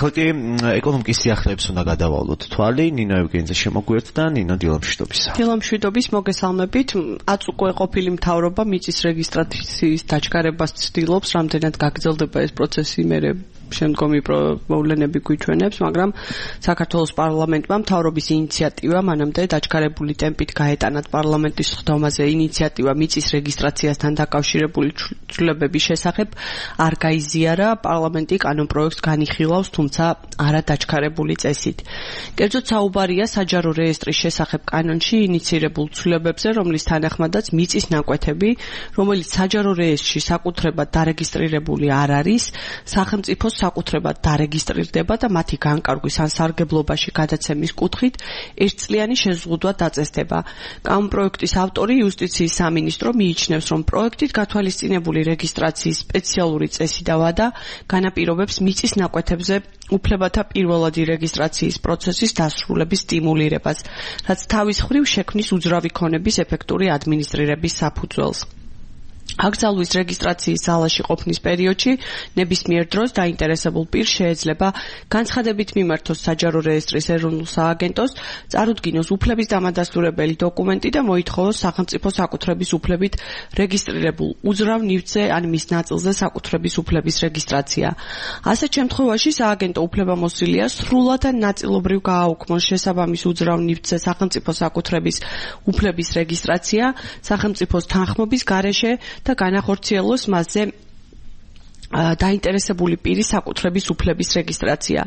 ხოთი ეკონომიკის სიახლეებს უნდა გადავალოთ თვალი, ნინო ევგენიძე შემოგვიერთდა, ნინო დილამშვიდობისა. დილამშვიდობის მოგესალმებით. აწ უკვე ყოფილი მთავრობა მიწის რეგისტრაციის დაჩქარებას ცდილობს, რამდენად გაგრძელდება ეს პროცესი, მერე შემდგომი მოვლენები გვიჩვენებს, მაგრამ საქართველოს პარლამენტმა მთავრობის ინიციატივა მანამდე დაჩქარებული ტემპით გაეტანათ პარლამენტის ხდომაზე ინიციატივა მიწის რეგისტრაციასთან დაკავშირებული ცვლილებების შესახებ არ გაიზიარა, პარლამენტი კანონპროექტს განიხილავს, თუმცა არა დაჩქარებული წესით. კერძოდ საუბარია საჯარო რეესტრის შესახებ კანონში ინიცირებულ ცვლილებებზე, რომლის თანახმადაც მიწის ნაკვეთები, რომელიც საჯარო რეესტრში საკუთრებად დარეგისტრირებული არ არის, სახელმწიფოს საკუთრებად დარეგისტრირდება და მათი განკარგვის ან სარგებლობაში გადაცემის კუთხით ერთწლიანი შეზღუდვა დაწესდება. კანონპროექტის ავტორი იუსტიციის სამინისტრო მიიჩნევს, რომ პროექტით გათვალისწინებული რეგისტრაციის სპეციალური წესი და ვადა განაპირობებს მიწის ნაკვეთებზე უფლებათა პირველადი რეგისტრაციის პროცესის დასრულების სტიმულირებას, რაც თავის მხრივ შექმნის უძრავი ქონების ეფექტური ადმინისტრირების საფუძველს. აკრძალვის რეგისტრაციის ძალაში ყოფნის პერიოდში ნებისმიერ დროს დაინტერესებულ პირს შეეძლება განცხადებით მიმართოს საჯარო რეესტრის ეროვნულ სააგენტოს, წარუდგინოს უფლების დამადასტურებელი დოკუმენტი და მოითხოვოს სახელმწიფო საკუთრების უფლებით რეგისტრირებულ უძრავ ნივთზე ან მის ნაწილზე საკუთრების უფლების რეგისტრაცია. ასეთ შემთხვევაში სააგენტო უფლებამოსილია სრულად ან ნაწილობრივ გააუქმოს შესაბამის უძრავ ნივთზე სახელმწიფო საკუთრების უფლების რეგისტრაცია სახელმწიფოს თანხმობის გარეშე და განახორციელოს მასზე დაინტერესებული პირის საკუთრების უფლების რეგისტრაცია.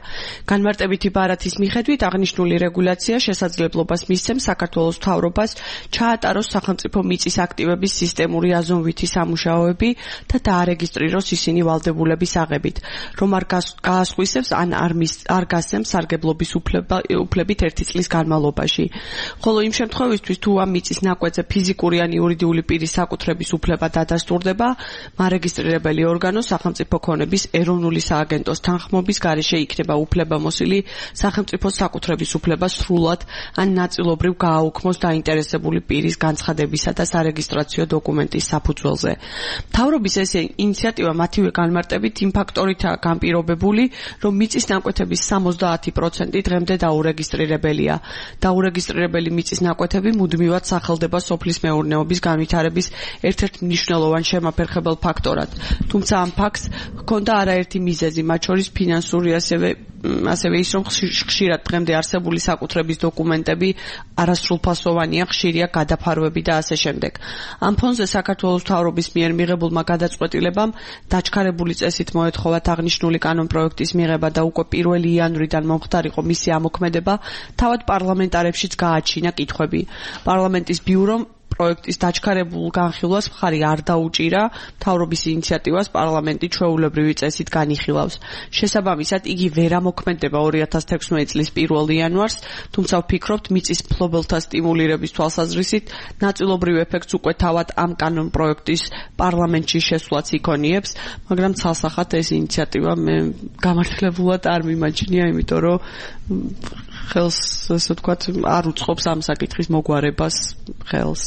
განმარტებითი ბარათის მიხედვით აღნიშნული რეგულაცია შესაძლებლობას მისცემს საქართველოს მთავრობას ჩაატაროს სახელმწიფო მიწის აქტივების სისტემური აზონვითი სამუშაოები და დაარეგისტრიროს ისინი ვალდებულების აღებით, რომ არ გაასხვისებს ან არ გასცემს სარგებლობის უფლებით 1 წლის განმავლობაში. ხოლო იმ შემთხვევისთვის, თუ ამ მიწის ნაკვეთზე ფიზიკური ან იურიდიული პირის საკუთრების უფლება დადასტურდება, მარეგისტრირებელი ორგანო სახელმწიფო ქონების ეროვნული სააგენტოს თანხმობის გარეშე იქნება უფლებამოსილი სახელმწიფოს საკუთრების უფლება სრულად ან ნაწილობრივ გააუქმოს დაინტერესებული პირის განცხადებისა და სარეგისტრაციო დოკუმენტის საფუძველზე. მთავრობის ეს ინიციატივა მათივე განმარტებით იმ ფაქტორითაა განპირობებული, რომ მიწის ნაკვეთების 70% დღემდე დაურეგისტრირებელია. დაურეგისტრირებელი მიწის ნაკვეთები მუდმივად სახელდება სოფლის მეურნეობის განვითარების ერთ-ერთ მნიშვნელოვან შემაფერხებელ ფაქტორად. თუმცა ამ ფაქტს ჰქონდა არაერთი მიზეზი, მათ შორის ფინანსური, ასევე ის, რომ ხშირად დღემდე არსებული საკუთრების დოკუმენტები არასრულფასოვანია, ხშირია გადაფარვები და ასე შემდეგ. ამ ფონზე საქართველოს მთავრობის მიერ მიღებულმა გადაწყვეტილებამ დაჩქარებული წესით მოეთხოვათ აღნიშნული კანონპროექტის მიღება და უკვე 1 იანვრიდან მომხდარიყო მისი ამოქმედება, თავად პარლამენტარებშიც გააჩინა კითხვები. პარლამენტის ბიურომ პროექტის დაჩქარებულ განხილვას მხარი არ დაუჭირა, მთავრობის ინიციატივას პარლამენტი ჩვეულებრივი წესით განიხილავს. შესაბამისად, იგი ვერ ამოქმედება 2016 წლის 1 იანვარს, თუმცა ვფიქრობთ, მიწის მფლობელთა სტიმულირების თვალსაზრისით ნაწილობრივ ეფექტს უკვე თავად ამ კანონპროექტის პარლამენტში შესვლაც იქონიებს, მაგრამ ცალსახად ეს ინიციატივა მე გამართლებულად არ მიმაჩნია, იმიტომ რომ ხელს, ასე ვთქვათ, არ უწყობს ამ საკითხის მოგვარებას ხელს.